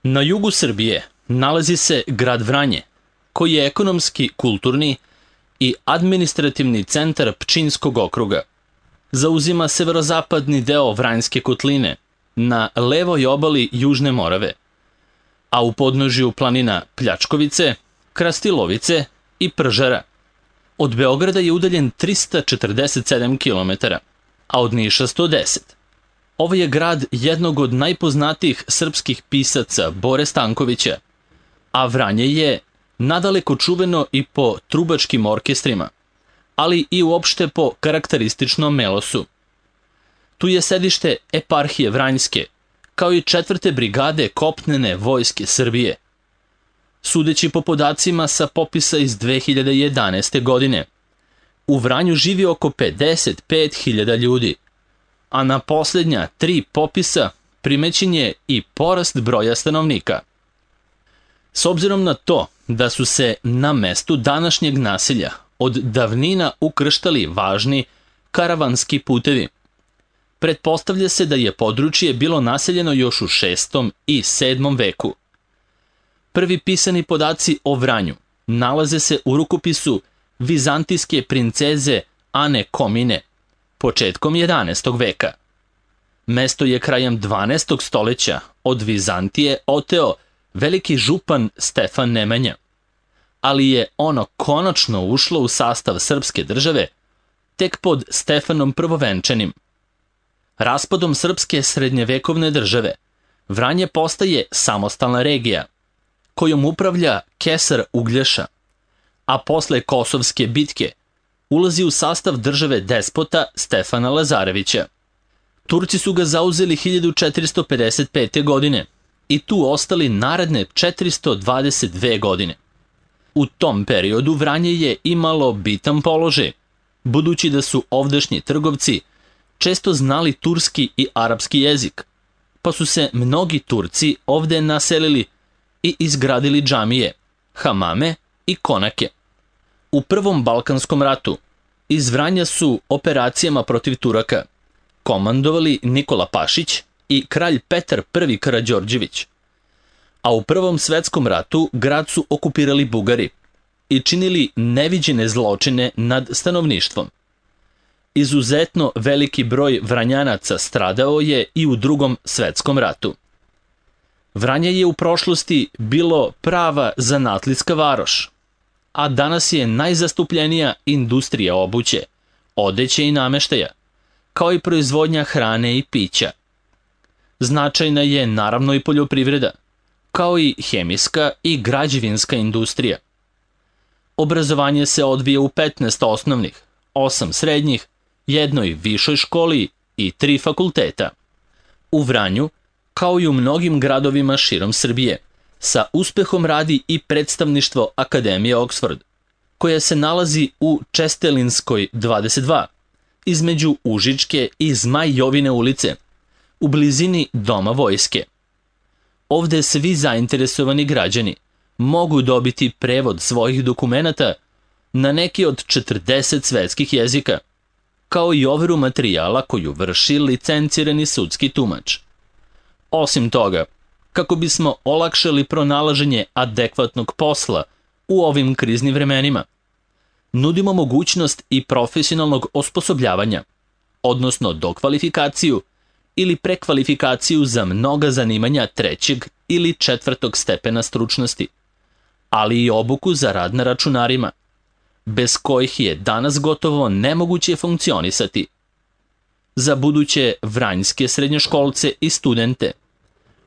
Na jugu Srbije nalazi se grad Vranje, koji je ekonomski, kulturni i administrativni centar Pčinjskog okruga. Zauzima severozapadni deo Vranjske kotline na levoj obali Južne Morave, a u podnožju planina Pljačkovice, Krastilovice i Pržara. Od Beograda je udaljen 347 km, a od Niša 110. Ovo je grad jednog od najpoznatijih srpskih pisaca Bore Stankovića, a Vranje je nadaleko čuveno i po trubačkim orkestrima, ali i uopšte po karakterističnom melosu. Tu je sedište eparhije Vranjske, kao i 4. brigade kopnene vojske Srbije. Sudeći po podacima sa popisa iz 2011. godine, u Vranju živi oko 55.000 ljudi, a na posljednja 3 popisa primećen je i porast broja stanovnika. S obzirom na to da su se na mestu današnjeg naselja od davnina ukrštali važni karavanski putevi, pretpostavlja se da je područje bilo naseljeno još u 6. i 7. veku. Prvi pisani podaci o Vranju nalaze se u rukopisu vizantijske princeze Ane Komine, početkom 11. veka. Mesto je krajem 12. stoljeća od Vizantije oteo veliki župan Stefan Nemanja, ali je ono konačno ušlo u sastav srpske države tek pod Stefanom Prvovenčanim. Raspadom srpske srednjevekovne države, Vranje postaje samostalna regija, kojom upravlja kesar Uglješa, a posle Kosovske bitke ulazi u sastav države despota Stefana Lazarevića. Turci su ga zauzeli 1455. godine i tu ostali naredne 422 godine. U tom periodu Vranje je imalo bitan položaj, budući da su ovdašnji trgovci često znali turski i arapski jezik, pa su se mnogi Turci ovde naselili i izgradili džamije, hamame i konake. U Prvom Balkanskom ratu iz Vranja su operacijama protiv Turaka komandovali Nikola Pašić i kralj Petar I Karađorđević, a u Prvom svetskom ratu grad su okupirali Bugari i činili neviđene zločine nad stanovništvom. Izuzetno veliki broj Vranjanaca stradao je i u Drugom svetskom ratu. Vranje je u prošlosti bilo prava zanatlitska varoš, a danas je najzastupljenija industrija obuće, odeće i nameštaja, kao i proizvodnja hrane i pića. Značajna je naravno i poljoprivreda, kao i hemijska i građevinska industrija. Obrazovanje se odvija u 15 osnovnih, 8 srednjih, jednoj višoj školi i 3 fakulteta. U Vranju, kao i u mnogim gradovima širom Srbije, sa uspehom radi i predstavništvo Akademije Oxford, koja se nalazi u Čestelinskoj 22, između Užičke i Zmaj Jovine ulice, u blizini Doma vojske. Ovde svi zainteresovani građani mogu dobiti prevod svojih dokumenata na neki od 40 svetskih jezika, kao i overu materijala koju vrši licencirani sudski tumač. Osim toga, kako bismo olakšali pronalaženje adekvatnog posla u ovim kriznim vremenima, nudimo mogućnost i profesionalnog osposobljavanja, odnosno dokvalifikaciju ili prekvalifikaciju za mnoga zanimanja 3. ili 4. stepena stručnosti, ali i obuku za rad na računarima, bez kojih je danas gotovo nemoguće funkcionisati. Za buduće vranjske srednjoškolce i studente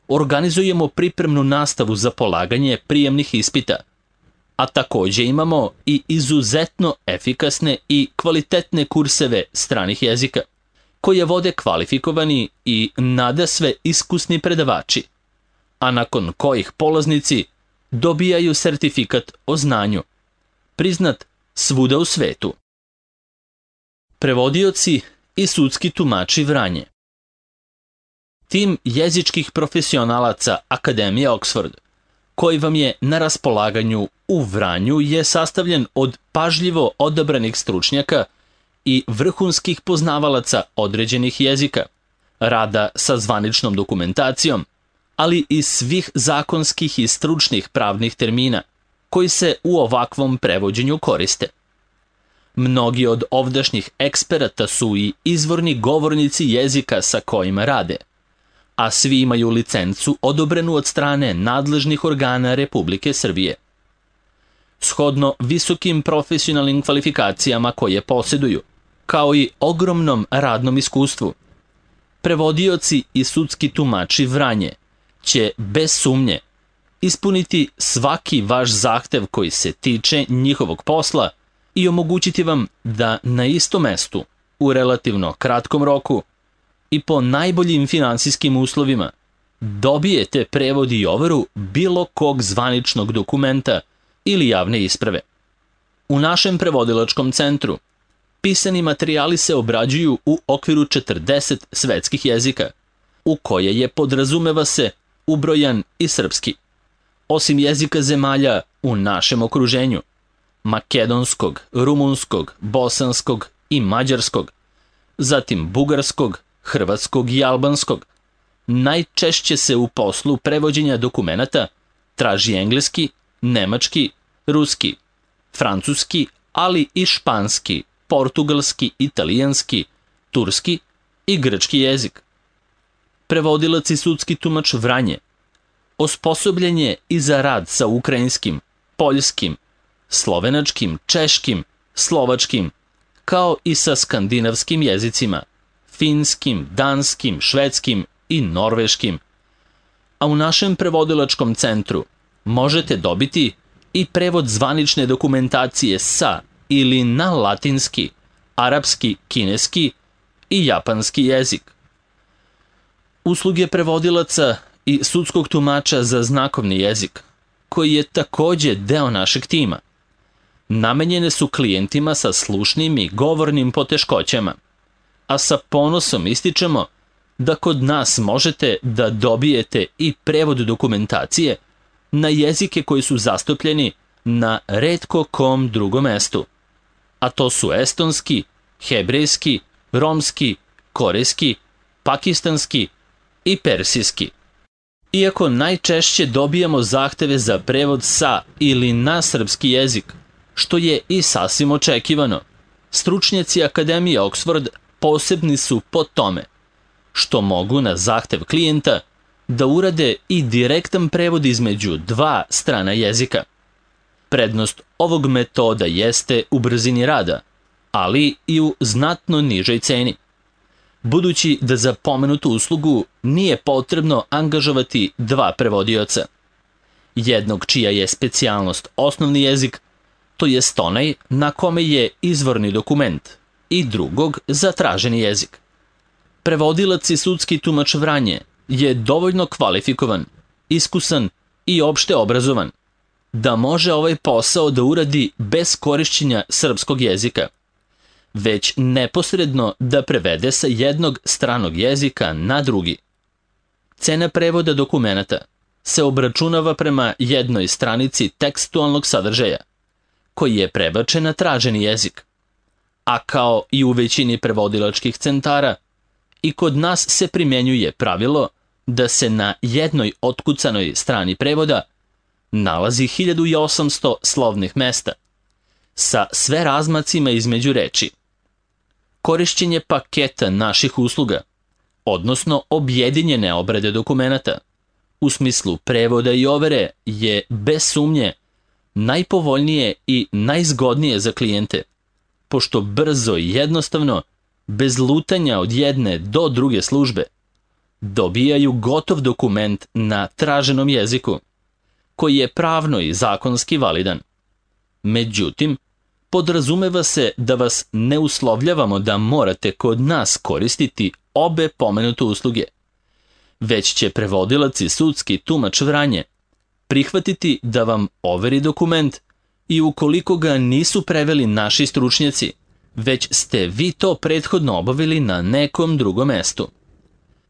organizujemo pripremnu nastavu za polaganje prijemnih ispita, a takođe imamo i izuzetno efikasne i kvalitetne kurseve stranih jezika, koje vode kvalifikovani i nadasve iskusni predavači, a nakon kojih polaznici dobijaju sertifikat o znanju, priznat svuda u svetu. Prevodioci i sudski tumači Vranje. Tim jezičkih profesionalaca Akademije Oxford, koji vam je na raspolaganju u Vranju, je sastavljen od pažljivo odabranih stručnjaka i vrhunskih poznavalaca određenih jezika, rada sa zvaničnom dokumentacijom, ali i svih zakonskih i stručnih pravnih termina koji se u ovakvom prevođenju koriste. Mnogi od ovdašnjih eksperata su i izvorni govornici jezika sa kojima rade, a svi imaju licencu odobrenu od strane nadležnih organa Republike Srbije. Shodno visokim profesionalnim kvalifikacijama koje posjeduju, kao i ogromnom radnom iskustvu, prevodioci i sudski tumači Vranje će bez sumnje ispuniti svaki vaš zahtev koji se tiče njihovog posla i omogućiti vam da na istom mestu, u relativno kratkom roku i po najboljim finansijskim uslovima, dobijete prevod i overu bilo kog zvaničnog dokumenta ili javne isprave. U našem prevodilačkom centru pisani materijali se obrađuju u okviru 40 svetskih jezika, u koje je, podrazumeva se, ubrojan i srpski. Osim jezika zemalja u našem okruženju, makedonskog, rumunskog, bosanskog i mađarskog, zatim bugarskog, hrvatskog i albanskog, najčešće se u poslu prevođenja dokumenata traži engleski, nemački, ruski, francuski, ali i španski, portugalski, italijanski, turski i grčki jezik. Prevodilac i sudski tumač Vranje osposobljen je i za rad sa ukrajinskim, poljskim, slovenačkim, češkim, slovačkim, kao i sa skandinavskim jezicima, finskim, danskim, švedskim i norveškim. A u našem prevodilačkom centru možete dobiti i prevod zvanične dokumentacije sa ili na latinski, arapski, kineski i japanski jezik. Usluge prevodilaca i sudskog tumača za znakovni jezik, koji je takođe deo našeg tima, namenjene su klijentima sa slušnim i govornim poteškoćama, a sa ponosom ističemo da kod nas možete da dobijete i prevod dokumentacije na jezike koji su zastupljeni na retko kom drugom mestu, a to su estonski, hebrejski, romski, korejski, pakistanski i persijski. Iako najčešće dobijamo zahteve za prevod sa ili na srpski jezik, što je i sasvim očekivano, stručnjaci Akademije Oxford posebni su po tome što mogu na zahtev klijenta da urade i direktan prevod između dva strana jezika. Prednost ovog metoda jeste u brzini rada, ali i u znatno nižoj ceni, budući da za pomenutu uslugu nije potrebno angažovati dva prevodioca. Jednog čija je specijalnost osnovni jezik, to jest onaj na kome je izvorni dokument, i drugog za traženi jezik. Prevodilac i sudski tumač Vranje je dovoljno kvalifikovan, iskusan i opšte obrazovan da može ovaj posao da uradi bez korišćenja srpskog jezika, već neposredno da prevede sa jednog stranog jezika na drugi. Cena prevoda dokumenata se obračunava prema jednoj stranici tekstualnog sadržaja, koji je prebačen na traženi jezik, a kao i u većini prevodilačkih centara, i kod nas se primjenjuje pravilo da se na jednoj otkucanoj strani prevoda nalazi 1800 slovnih mesta, sa sve razmacima između reči. Korišćenje paketa naših usluga, odnosno objedinjene obrade dokumenata, u smislu prevoda i overe, je bez sumnje najpovoljnije i najzgodnije za klijente, pošto brzo i jednostavno, bez lutanja od jedne do druge službe, dobijaju gotov dokument na traženom jeziku, koji je pravno i zakonski validan. Međutim, podrazumeva se da vas ne uslovljavamo da morate kod nas koristiti obe pomenute usluge, već će prevodilac i sudski tumač Vranje prihvatiti da vam overi dokument i ukoliko ga nisu preveli naši stručnjaci, već ste vi to prethodno obavili na nekom drugom mestu.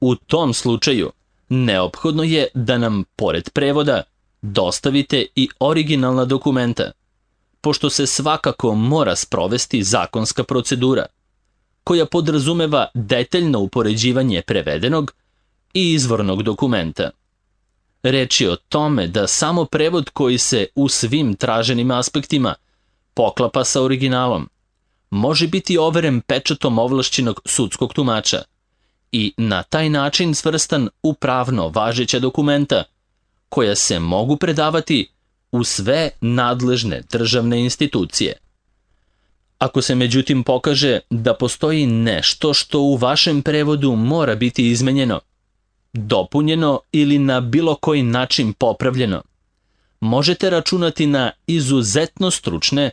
U tom slučaju, neophodno je da nam, pored prevoda, dostavite i originalna dokumenta, pošto se svakako mora sprovesti zakonska procedura, koja podrazumeva detaljno upoređivanje prevedenog i izvornog dokumenta. Reč je o tome da samo prevod koji se u svim traženim aspektima poklapa sa originalom može biti overen pečatom ovlašćenog sudskog tumača i na taj način svrstan u pravno važeća dokumenta koja se mogu predavati u sve nadležne državne institucije. Ako se međutim pokaže da postoji nešto što u vašem prevodu mora biti izmenjeno, dopunjeno ili na bilo koji način popravljeno, možete računati na izuzetno stručne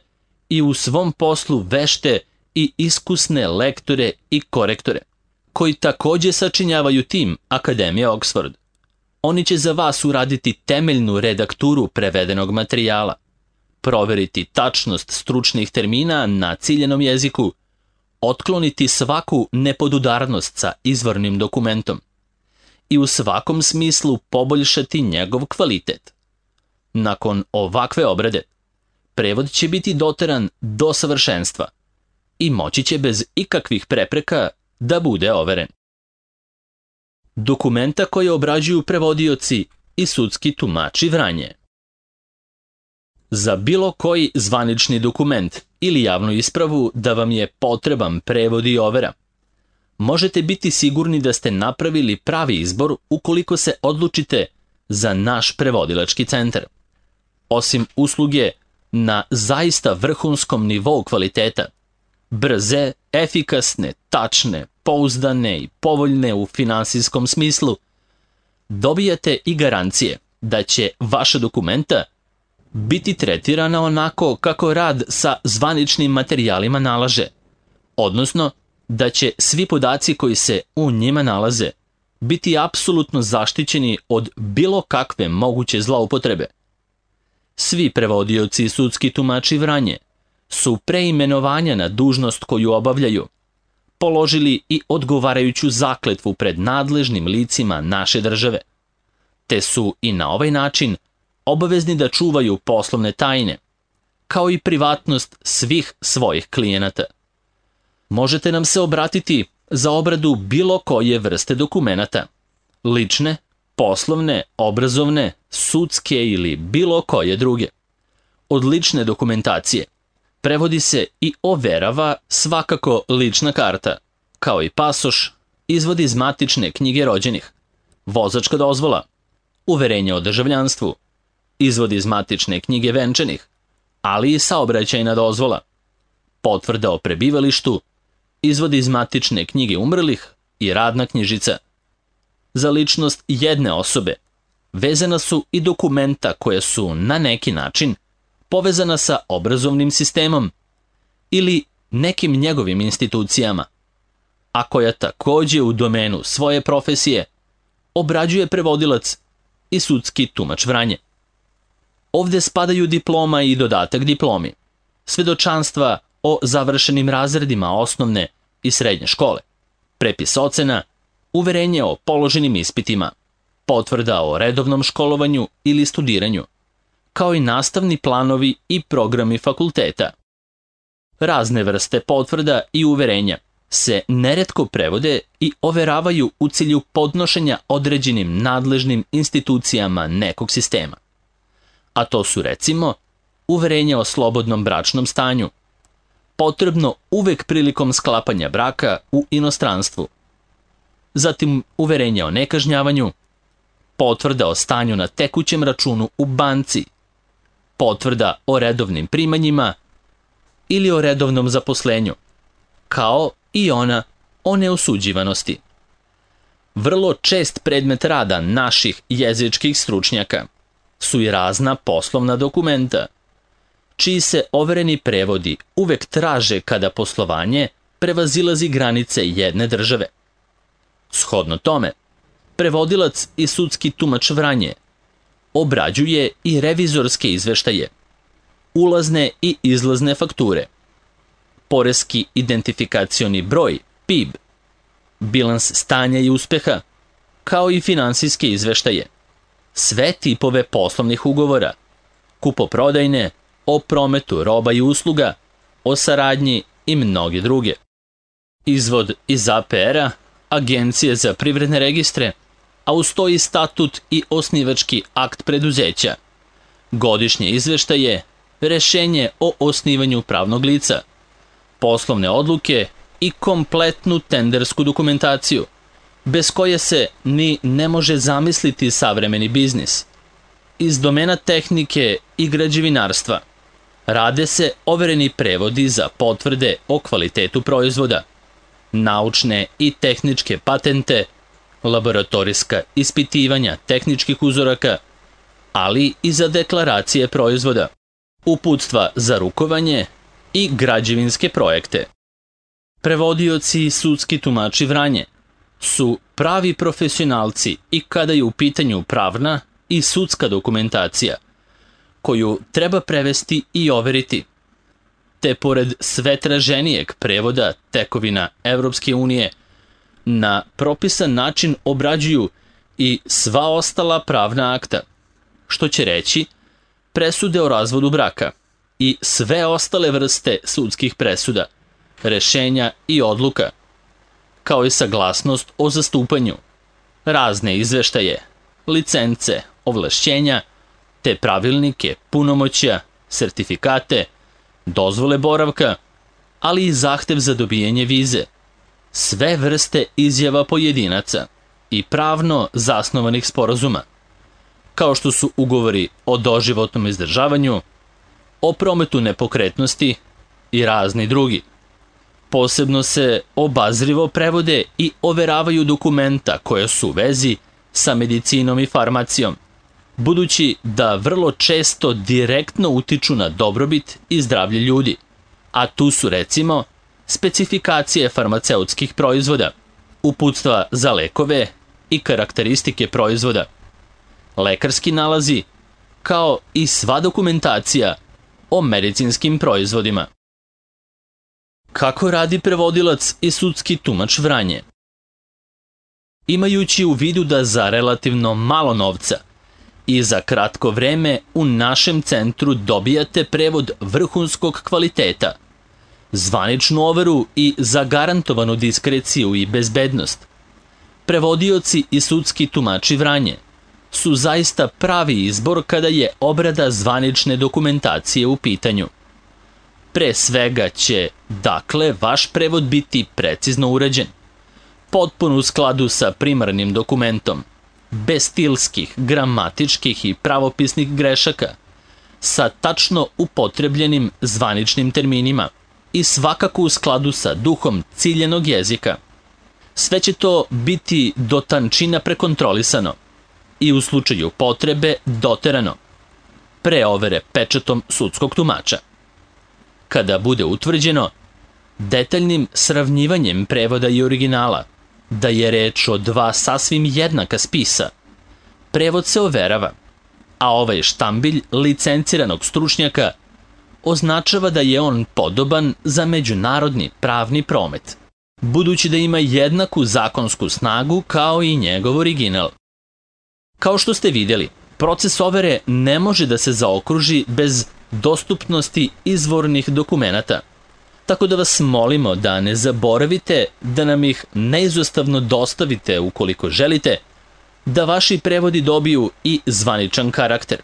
i u svom poslu vešte i iskusne lektore i korektore, koji takođe sačinjavaju tim Akademije Oxford. Oni će za vas uraditi temeljnu redakturu prevedenog materijala, proveriti tačnost stručnih termina na ciljenom jeziku, otkloniti svaku nepodudarnost sa izvornim dokumentom i u svakom smislu poboljšati njegov kvalitet. Nakon ovakve obrade, prevod će biti doteran do savršenstva i moći će bez ikakvih prepreka da bude overen. Dokumenta koje obrađuju prevodioci i sudski tumači Vranje. Za bilo koji zvanični dokument ili javnu ispravu da vam je potreban prevod i overa, možete biti sigurni da ste napravili pravi izbor ukoliko se odlučite za naš prevodilački centar. Osim usluge na zaista vrhunskom nivou kvaliteta, brze, efikasne, tačne, pouzdane i povoljne u finansijskom smislu, dobijate i garancije da će vaša dokumenta biti tretirana onako kako rad sa zvaničnim materijalima nalaže, odnosno da će svi podaci koji se u njima nalaze biti apsolutno zaštićeni od bilo kakve moguće zloupotrebe. Svi prevodioci i sudski tumači Vranje su pre imenovanja na dužnost koju obavljaju položili i odgovarajuću zakletvu pred nadležnim licima naše države, te su i na ovaj način obavezni da čuvaju poslovne tajne, kao i privatnost svih svojih klijenata. Možete nam se obratiti za obradu bilo koje vrste dokumenata, lične, poslovne, obrazovne, sudske ili bilo koje druge. Od lične dokumentacije prevodi se i overava svakako lična karta, kao i pasoš, izvod iz matične knjige rođenih, vozačka dozvola, uverenje o državljanstvu, izvod iz matične knjige venčanih, ali i saobraćajna dozvola, potvrda o prebivalištu, izvod iz matične knjige umrlih i radna knjižica. Za ličnost jedne osobe vezana su i dokumenta koje su na neki način povezana sa obrazovnim sistemom ili nekim njegovim institucijama, a koja takođe u domenu svoje profesije obrađuje prevodilac i sudski tumač Vranje. Ovde spadaju diploma i dodatak diplomi, svedočanstva o završenim razredima osnovne i srednje škole, prepis ocena, uverenje o položenim ispitima, potvrda o redovnom školovanju ili studiranju, kao i nastavni planovi i programi fakulteta. Razne vrste potvrda i uverenja se neretko prevode i overavaju u cilju podnošenja određenim nadležnim institucijama nekog sistema. A to su recimo uverenje o slobodnom bračnom stanju, potrebno uvek prilikom sklapanja braka u inostranstvu, zatim uverenje o nekažnjavanju, potvrda o stanju na tekućem računu u banci, potvrda o redovnim primanjima ili o redovnom zaposlenju, kao i ona o neosuđivanosti. Vrlo čest predmet rada naših jezičkih stručnjaka su i razna poslovna dokumenta, čiji se overeni prevodi uvek traže kada poslovanje prevazilazi granice jedne države. Shodno tome, prevodilac i sudski tumač Vranje obrađuje i revizorske izveštaje, ulazne i izlazne fakture, poreski identifikacioni broj, PIB, bilans stanja i uspeha, kao i finansijske izveštaje, sve tipove poslovnih ugovora, kupoprodajne, o prometu roba i usluga, o saradnji i mnoge druge. Izvod iz APR-a, Agencije za privredne registre, a uz to i statut i osnivački akt preduzeća, godišnje izveštaje, rešenje o osnivanju pravnog lica, poslovne odluke i kompletnu tendersku dokumentaciju, bez koje se ni ne može zamisliti savremeni biznis. Iz domena tehnike i građevinarstva rade se overeni prevodi za potvrde o kvalitetu proizvoda, naučne i tehničke patente, laboratorijska ispitivanja tehničkih uzoraka, ali i za deklaracije proizvoda, uputstva za rukovanje i građevinske projekte. Prevodioci i sudski tumači Vranje su pravi profesionalci i kada je u pitanju pravna i sudska dokumentacija, koju treba prevesti i overiti, te pored sve traženijeg prevoda tekovina Evropske unije, na propisan način obrađuju i sva ostala pravna akta, što će reći presude o razvodu braka i sve ostale vrste sudskih presuda, rešenja i odluka, kao i saglasnost o zastupanju, razne izveštaje, licence, ovlašćenja, te pravilnike, punomoćja, sertifikate, dozvole boravka, ali i zahtev za dobijanje vize, sve vrste izjava pojedinaca i pravno zasnovanih sporazuma, kao što su ugovori o doživotnom izdržavanju, o prometu nepokretnosti i razni drugi. Posebno se obazrivo prevode i overavaju dokumenta koja su u vezi sa medicinom i farmacijom, budući da vrlo često direktno utiču na dobrobit i zdravlje ljudi, a tu su recimo specifikacije farmaceutskih proizvoda, uputstva za lekove i karakteristike proizvoda, lekarski nalazi, kao i sva dokumentacija o medicinskim proizvodima. Kako radi prevodilac i sudski tumač Vranje? Imajući u vidu da za relativno malo novca i za kratko vreme u našem centru dobijate prevod vrhunskog kvaliteta, zvaničnu overu i zagarantovanu diskreciju i bezbednost, prevodioci i sudski tumači Vranje su zaista pravi izbor kada je obrada zvanične dokumentacije u pitanju. Pre svega će, dakle, vaš prevod biti precizno urađen, potpuno u skladu sa primarnim dokumentom, bez stilskih, gramatičkih i pravopisnih grešaka, sa tačno upotrebljenim zvaničnim terminima i svakako u skladu sa duhom ciljenog jezika. Sve će to biti do tančina prekontrolisano i u slučaju potrebe doterano, pre overe pečatom sudskog tumača. Kada bude utvrđeno, detaljnim sravnjivanjem prevoda i originala, da je reč o dva sasvim jednaka spisa, prevod se overava, a ovaj štambilj licenciranog stručnjaka označava da je on podoban za međunarodni pravni promet, budući da ima jednaku zakonsku snagu kao i njegov original. Kao što ste vidjeli, proces overe ne može da se zaokruži bez dostupnosti izvornih dokumenata, tako da vas molimo da ne zaboravite da nam ih neizostavno dostavite ukoliko želite da vaši prevodi dobiju i zvaničan karakter.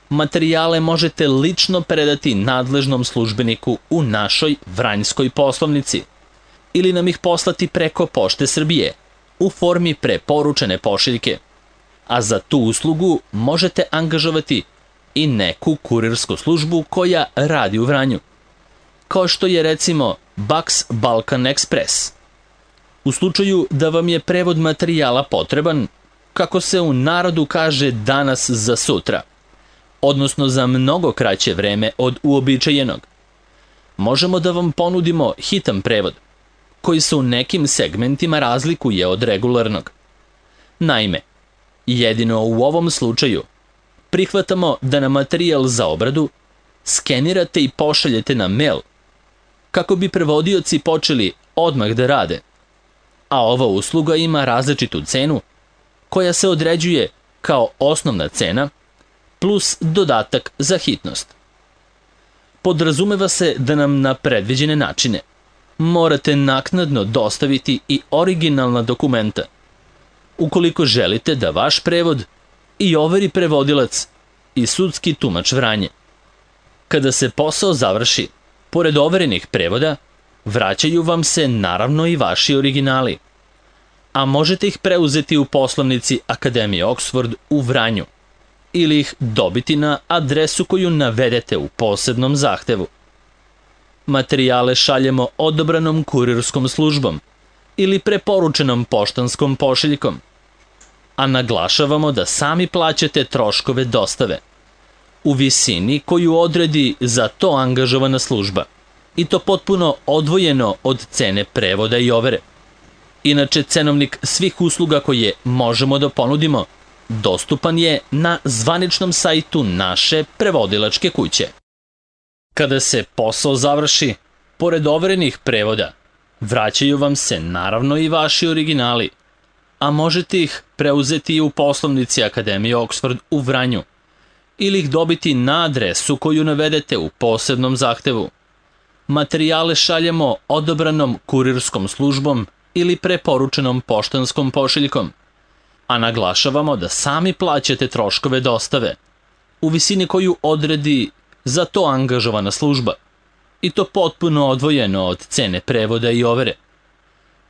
Materijale možete lično predati nadležnom službeniku u našoj vranjskoj poslovnici ili nam ih poslati preko Pošte Srbije u formi preporučene pošiljke, a za tu uslugu možete angažovati i neku kurirsku službu koja radi u Vranju, kao što je recimo Bax Balkan Express. U slučaju da vam je prevod materijala potreban, kako se u narodu kaže danas za sutra, odnosno za mnogo kraće vreme od uobičajenog, možemo da vam ponudimo hitan prevod, koji se u nekim segmentima razlikuje od regularnog. Naime, jedino u ovom slučaju prihvatamo da na materijal za obradu skenirate i pošaljete na mail, kako bi prevodioci počeli odmah da rade, a ova usluga ima različitu cenu koja se određuje kao osnovna cena plus dodatak za hitnost. Podrazumeva se da nam na predviđene načine morate naknadno dostaviti i originalna dokumenta, ukoliko želite da vaš prevod i overi prevodilac i sudski tumač Vranje. Kada se posao završi, pored overenih prevoda, vraćaju vam se naravno i vaši originali, a možete ih preuzeti u poslovnici Akademije Oxford u Vranju ili ih dobiti na adresu koju navedete u posebnom zahtevu. Materijale šaljemo odabranom kurirskom službom ili preporučenom poštanskom pošiljkom, a naglašavamo da sami plaćate troškove dostave u visini koju odredi za to angažovana služba, i to potpuno odvojeno od cene prevoda i overe. Inače, cenovnik svih usluga koje možemo da ponudimo dostupan je na zvaničnom sajtu naše prevodilačke kuće. Kada se posao završi, pored overenih prevoda, vraćaju vam se naravno i vaši originali, a možete ih preuzeti i u poslovnici Akademije Oxford u Vranju ili ih dobiti na adresu koju navedete u posebnom zahtevu. Materijale šaljemo odabranom kurirskom službom ili preporučenom poštanskom pošiljkom, a naglašavamo da sami plaćate troškove dostave u visini koju odredi za to angažovana služba, i to potpuno odvojeno od cene prevoda i overe.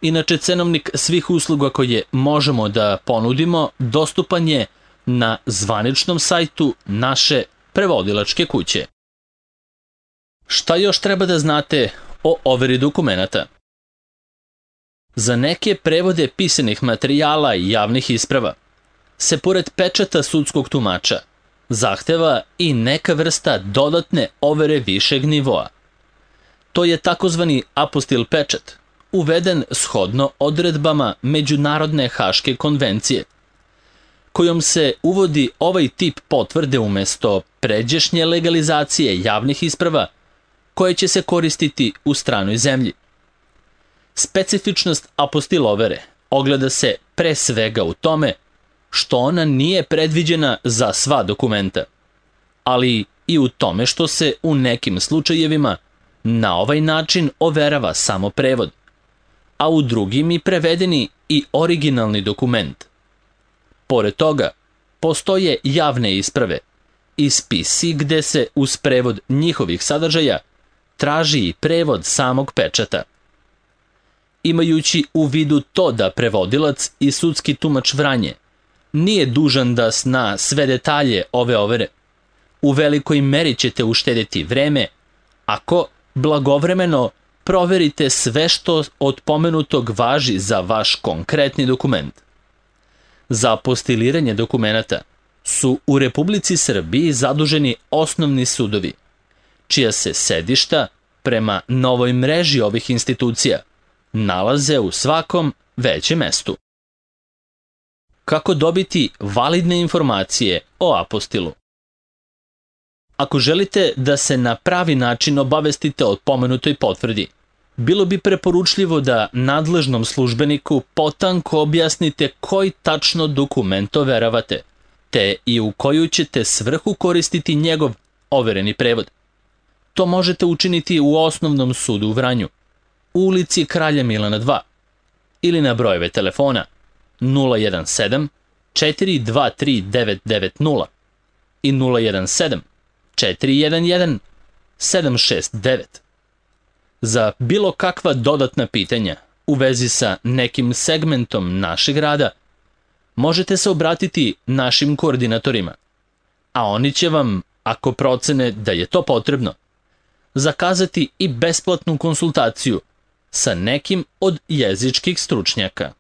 Inače, cenovnik svih usluga koje možemo da ponudimo dostupan je na zvaničnom sajtu naše prevodilačke kuće. Šta još treba da znate o overi dokumenata? Za neke prevode pisanih materijala i javnih isprava se pored pečata sudskog tumača zahteva i neka vrsta dodatne overe višeg nivoa. To je takozvani apostil pečat, uveden shodno odredbama Međunarodne haške konvencije, kojom se uvodi ovaj tip potvrde umesto pređašnje legalizacije javnih isprava koje će se koristiti u stranoj zemlji. Specifičnost apostil overe ogleda se pre svega u tome što ona nije predviđena za sva dokumenta, ali i u tome što se u nekim slučajevima na ovaj način overava samo prevod, a u drugim i prevedeni i originalni dokument. Pored toga, postoje javne isprave i spisi gde se uz prevod njihovih sadržaja traži i prevod samog pečata. Imajući u vidu to da prevodilac i sudski tumač Vranje nije dužan da zna sve detalje ove overe, u velikoj meri ćete uštedeti vreme ako blagovremeno proverite sve što od pomenutog važi za vaš konkretni dokument. Za apostiliranje dokumenata su u Republici Srbiji zaduženi osnovni sudovi, čija se sedišta prema novoj mreži ovih institucija nalaze u svakom većem mestu. Kako dobiti validne informacije o apostilu? Ako želite da se na pravi način obavestite o pomenutoj potvrdi, bilo bi preporučljivo da nadležnom službeniku potanko objasnite koji tačno dokument overavate, te i u koju ćete svrhu koristiti njegov overeni prevod. To možete učiniti u Osnovnom sudu u Vranju, u ulici Kralja Milana 2, ili na brojeve telefona 017 423 990 i 017 411 769. Za bilo kakva dodatna pitanja u vezi sa nekim segmentom našeg rada, možete se obratiti našim koordinatorima, a oni će vam, ako procene da je to potrebno, zakazati i besplatnu konsultaciju sa nekim od jezičkih stručnjaka.